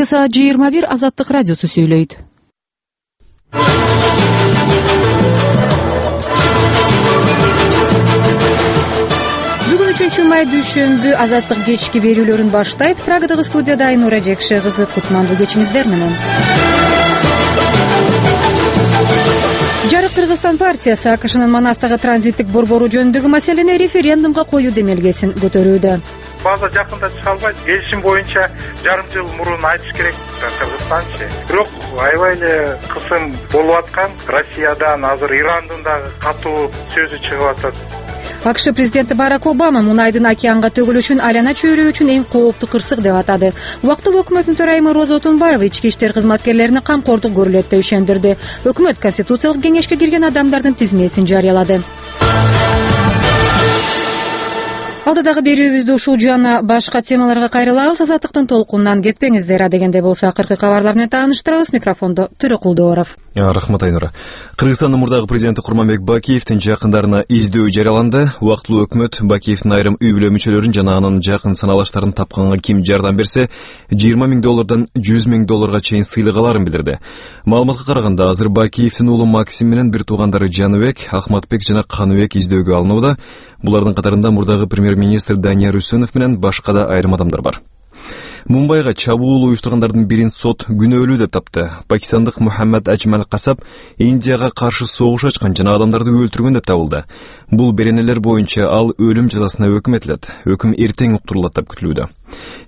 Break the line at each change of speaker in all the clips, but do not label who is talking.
Саат 21 Азаттык радиосу сүйлөйт. Бүгүн 3-май дүйшөмбү Азаттык кечки берүүлөрүн баштайт. Прагадагы студияда Айнура Жекше кызы. Кутмандуу кечиңиздер менен. Жарык Кыргызстан партиясы АКШнын Манастагы транзиттик борбору жөнүндөгү маселени референдумга коюу демелгесин көтөрүүдө.
База жакында чыга албайт. Келишим боюнча жарым жыл мурун айтыш керек Кыргызстанчы. Бирок аябай эле кысым болуп аткан. Россиядан азыр Ирандын дагы катуу сөзү чыгып атат.
АКШ президенти Барак Обама мунайдын океанга төгүлүшүн айлана чөйрө үчүн эң кооптуу кырсык деп атады. Убактылуу өкмөттүн төрайымы Роза Отунбаева ички иштер кызматкерлерине камкордук көрүлөт деп ишендирди. Өкмөт Конституциялык кеңешке кирген адамдардын тизмесин жарыялады. Алдыдагы берүүбүздү ушул жана башка темаларга кайрылабыз. Азаттыктын толкунунан кетпеңиздер. Адегенде болсо акыркы кабарлар менен тааныштырабыз. Микрофондо Төрөкулдуоров.
Рахмат, Айнура. Кыргызстандын мурдагы президенти Курманбек Бакиевдин жакындарына издөө жарыяланды. Убактылуу өкмөт Бакиевдин айрым үй бүлө мүчөлөрүн жана анын жакын саналаштарын тапканга ким жардам берсе, $20 000 $100 000 чейин сыйлык аларын билдирди. Маалыматка караганда, азыр Бакиевдин уулу Максим менен бир туугандары Жаныбек, Ахматбек жана Каныбек издөөгө алынууда. Булардын катарында мурдагы премьер-министр Данияр Үсөнов менен башка да айрым адамдар бар. Мумбайга чабуул уюштургандардын бирин сот күнөөлүү деп тапты. Пакистандык Мухаммад Аджмал Касап Индияга каршы согуш ачкан жана адамдарды өлтүргөн деп табылды. Бул беренелер боюнча ал өлүм жазасына өкүм этилет. Өкүм эртең уктурулат деп күтүлүүдө.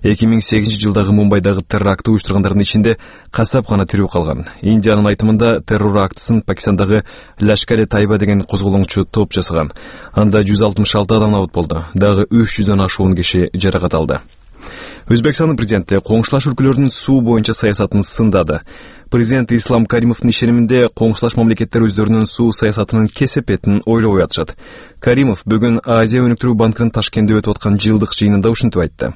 2008 жылдагы Мумбайдагы террор акты уюштургандардын ичинде Касап гана тирүү калган. Индиянын айтымында террор актысын Пакистандагы Лашкар-e-Тайба деген козголоңчу топ жасаган. Анда 166 адам абут болду. Дагы 300дөн ашуун киши жаракат алды. Өзбекстандын президенти коңшулаш өлкөлөрдүн суу боюнча саясатын сындады. Президент Ислам Каримовдун ишениминде коңшулаш мамлекеттер өздөрүнүн суу саясатынын кесепетин ойлобой атышат. Каримов бүгүн Азия өнүктүрүү банкынын Ташкентте өтүп аткан жылдык жыйынында ушинтип айтты.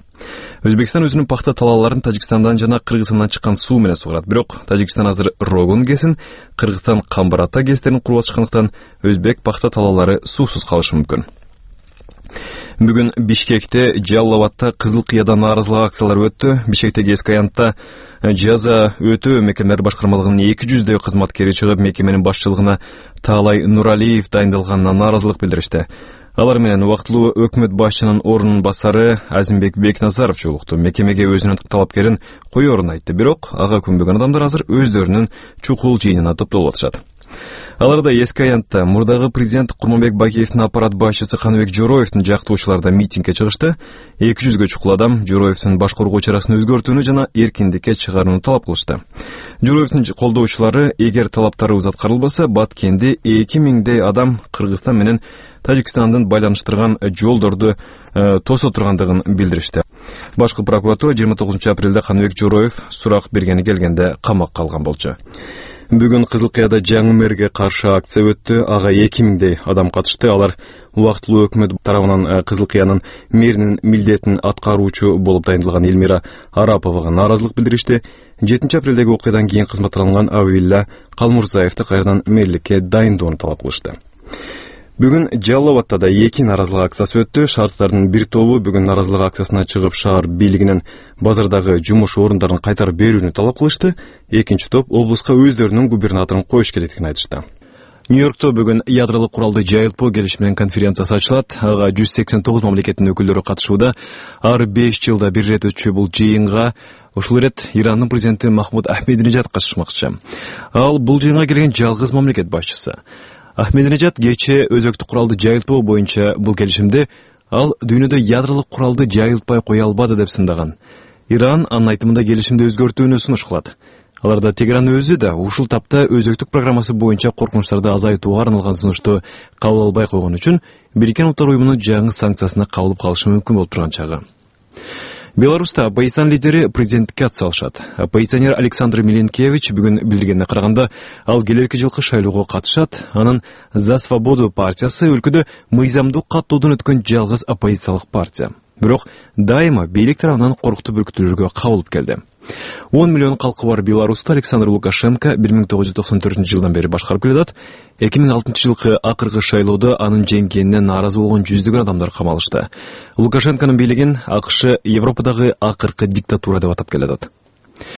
Өзбекстан өзүнүн пахта талааларын Тажикстандан жана Кыргызстандан чыккан суу менен сугарат. Бирок Тажикстан азыр Рогун ГЭСин, Кыргызстан Камбар-Ата ГЭСтерин куруп атышкандыктан өзбек пахта талаалары суусуз калышы мүмкүн. Бүгүн Бишкекте, Жалал-Абадта Кызыл Кыяда нааразылык акциялары өттү. Бишкектеги эски аянтта жаза өтөө мекемелер башкармалыгынын 200дөй кызматкери чыгып, мекеменин башчылыгына Таалай Нуралиев дайындалганына нааразылык билдиришти. Алар менен убактылуу өкмөт башчынын ордунун басары Азимбек Бекназаров жолукту. Мекемеге өзүнүн талапкерин коёрун айтты. Бирок ага күнбөгөн адамдар азыр өздөрүнүн чукул жыйынына топтолуп атышат. Аларда эски аянтта мурдагы президент Курманбек Бакиевдин аппарат башчысы Каныбек Жороевдин жактоочулары да митингге чыгышты. 200гө чукул адам Жороевдин баш коргоо чарасын өзгөртүүнү жана эркиндикке чыгарууну талап кылышты. Жороевдин колдоочулары эгер талаптарыбыз аткарылбаса, Баткенде 2000дей адам Кыргызстан менен Тажикстандын байланыштырган жолдорду тосо тургандыгын билдиришти. Башкы прокуратура 29 апрелде Каныбек Жороев сурак бергени келгенде камакка алган болчу. Бүгүн Кызыл Кыяда жаңы мэрге каршы акция өттү. Ага 2000дей адам катышты. Алар убактылуу өкмөт тарабынан Кызыл Кыянын мэринин милдетин аткаруучу болуп дайындалган Элмира Араповага нааразылык билдиришти. 7 апрелдеги окуядан кийин кызматтан алынган Абилла Калмурзаевди кайрадан мэрликке дайындоону талап кылышты. Бүгүн Жалал-Абадта да 2 нааразылык акциясы өттү. Шаардардын бир тобу бүгүн нааразылык акциясына чыгып, шаар бийлигинен базардагы жумуш орундарын кайтарып берүүнү талап кылышты. Экинчи топ облуска өздөрүнүн губернаторун коюш керектигин айтышты. Нью-Йоркто бүгүн ядролук куралды жайылтпоо келишиминин конференциясы ачылат. Ага 189 мамлекеттин өкүлдөрү катышууда. Ар 5 жылда бир ирет өтчү бул жыйынга ушул ирет Ирандын президенти Махмуд Ахмединежад катышмакчы. Ал бул жыйынга келген жалгыз мамлекет башчысы. Ахмединежад кечээ өзөктүк куралды жайылтпоо боюнча бул келишимде ал дүйнөдө ядролук куралды жайылтпай кое албады деп сындаган. Иран анын айтымында келишимди өзгөртүүнү сунуш кылат. Аларда Тегеран өзү да ушул тапта өзөктүк программасы боюнча коркунучтарды азайтууга арналган сунушту кабыл албай койгон үчүн Бириккен Улуттар уюмунун жаңы санкциясына кабылып калышы мүмкүн болуп турган чагы. Беларуста оппозицион лидери президенттикке атсалышат. Оппозиционер Александр Миленкевич бүгүн билдиргенине караганда, ал келерки жылкы шайлоого катышат. Анын За свободу партиясы өлкөдө мыйзамдуу каттоодон өткөн жалгыз оппозициялык партия. Бирок дайыма бийлик тарабынан коркутуп бүркүтүүлөргө кабылып келди. 10 миллион калкы бар Беларуста Александр Лукашенко 1994 жылдан бери башкарып келет. 2006 жылкы акыркы шайлоодо анын жеңгенине нааразы болгон жүздөгөн адамдар камалышты. Лукашенконун бийлигин АКШ Европадагы акыркы диктатура деп атап келет.